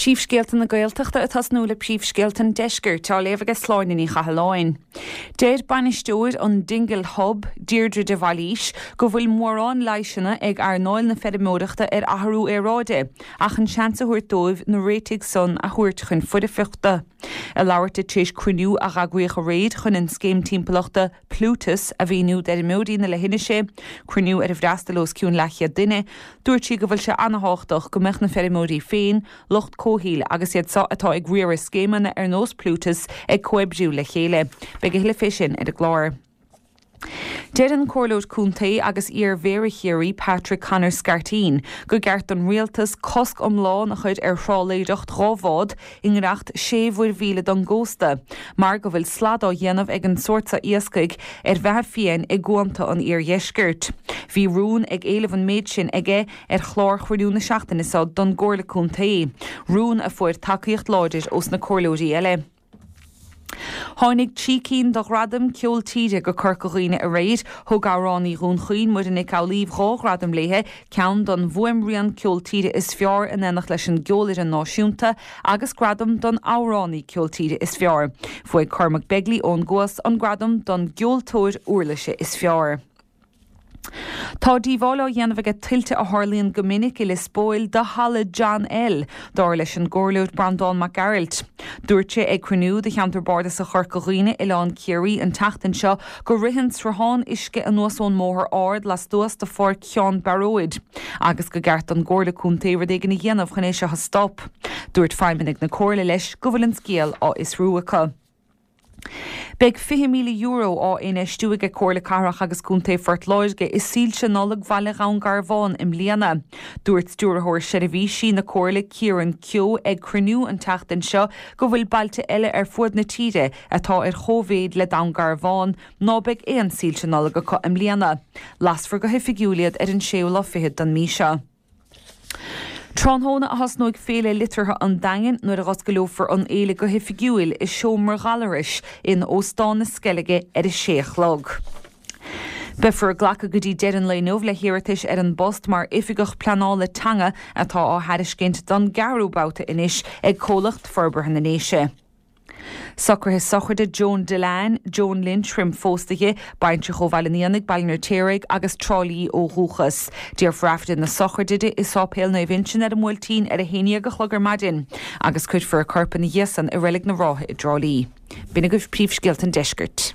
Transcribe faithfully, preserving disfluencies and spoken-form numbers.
Príomhscéalta na Gaeltachta ag tosnú le príomhscéalta an deiscirt á léamh ag Sláine Ní Chathalláin. Deir bainisteoir an Dingle Hub, Deirdre de Bhailís, go bhfuil mórán leigheasanna ag earnáil na feirmeoireachta ar athrú aeráide, ach an seans a thabhairt dóibh na réitigh san a thabhairt chun foirfeachta. Ag labhairt di tar éis cruinniú a eagraíodh aréir chun an scéim timpeallachta Plutus a mhíniú d'fheirmeoirí na leithinise, cruinniú ar ar fhreastail os cionn leathchéad duine, dúirt sí go bhfuil sé an-tábhachtach go mbeadh na feirmeoirí féin, lucht comhshaoil agus iad so atá ag riaradh scéimeanna ar nós Plutus ag comhoibriú le chéile. Beidh a thuilleadh fé sin ar an gclár. Deir an Comhairleoir Contae agus iar-Mhéara Chiarraí Patrick Connor Scarteen gur cheart don rialtas cosc iomlán a chur ar thrálaeireacht dhá bhád i ngiorracht sé mhuirmhíle don gcósta, mar go bhfuil slad á dhéanamh ag an sórt seo iascaigh ar bheatha fiáin i gcuanta an iardheiscirt. Bhí rún ag éileamh an méid sin aige ar chlár chruinniú na seachtaine seo don gComhairle Contae, rún a fuair tacaíocht láidir ós na comhairleoirí eile. Tháinig trí cinn de ghradaim ceol tíre go Corca Dhuibhne aréir, thug amhránaí Dhún Chaoin Muireann Nic Amhlaoibh dhá ghradam léithe, ceann don bhfuaimrian ceol tíre is fearr in éineacht leis an gceolfhoireann náisiúnta agus gradam don amhránaí ceol tíre is fearr. Bhuaigh Cormac Begley ón gCuas an gradam don gceoltóir uirlise is fearr. Tá díobháil á dhéanamh ag tuilte a tharlaíonn go minic i Lios Póil do halla John L, dar leis an gcomhairleoir Breandán Mac Gearailt. Dúirt sé ag cruinniú de cheantar bardasach Chorca Dhuibhne Oileán Ciarraí an tseachtain seo go ritheann sruthán uisce anuas ón mbóthar ard lastuas de Pháirc Sheán Bearóid, agus gur cheart don gComhairle Contae rud éigin a dhéanamh chun é seo a stop. Dúirt feidhmeannaigh na comhairle leis go bhfuil an scéal á fhiosrú acu. Beidh fiche míle euro á infheistiú ag Comhairle Cathrach agus Contae Phort Láirge i soilse Nollag Bhaile Dhún Garbhán i mbliana. Dúirt stiúrthóir seirbhísí na Comhairle Ciaran Keogh ag cruinniú an tseachtain seo go bhfuil bailte eile ar fud na tíre atá ar chóimhéid le Dún Garbhán ná beidh aon soilse Nollag acu i mbliana. Lasfar go hoifigiúil iad ar an séú lá fichead den mhí seo. Tráthnóna a thosnóidh Féile Liteartha an Daingin nuair a dh'osclófar an fhéile go hoifigiúil i seomra Ghallarais in Óstán na Sceilge ar a sé a chlog. Beifear ag glacadh go dtí deireadh an lae inniu le hiarratais ar an bpost mar oifigeach pleanála teanga atá á thairiscint don gceathrú babhta anois ag Comhlacht Forbartha na nDéise. Socruithe sochraide Joan Dillane, Joan Lynch roim phósadh di, baintreach ó Bhaile an Éanaigh, Baile an Fheirtéaraigh agus Trá Lí ó dhúchas. Déarfar Aifreann na sochraide di i Sáipéal Naomh Uinseann ar an mBuailtín ar a haon déag a chlog ar maidin, agus cuirfear a corp ina dhiaidh san i Reilig na Rátha i dTrá Lí. B'in agaibh príomhscéalta an deiscirt.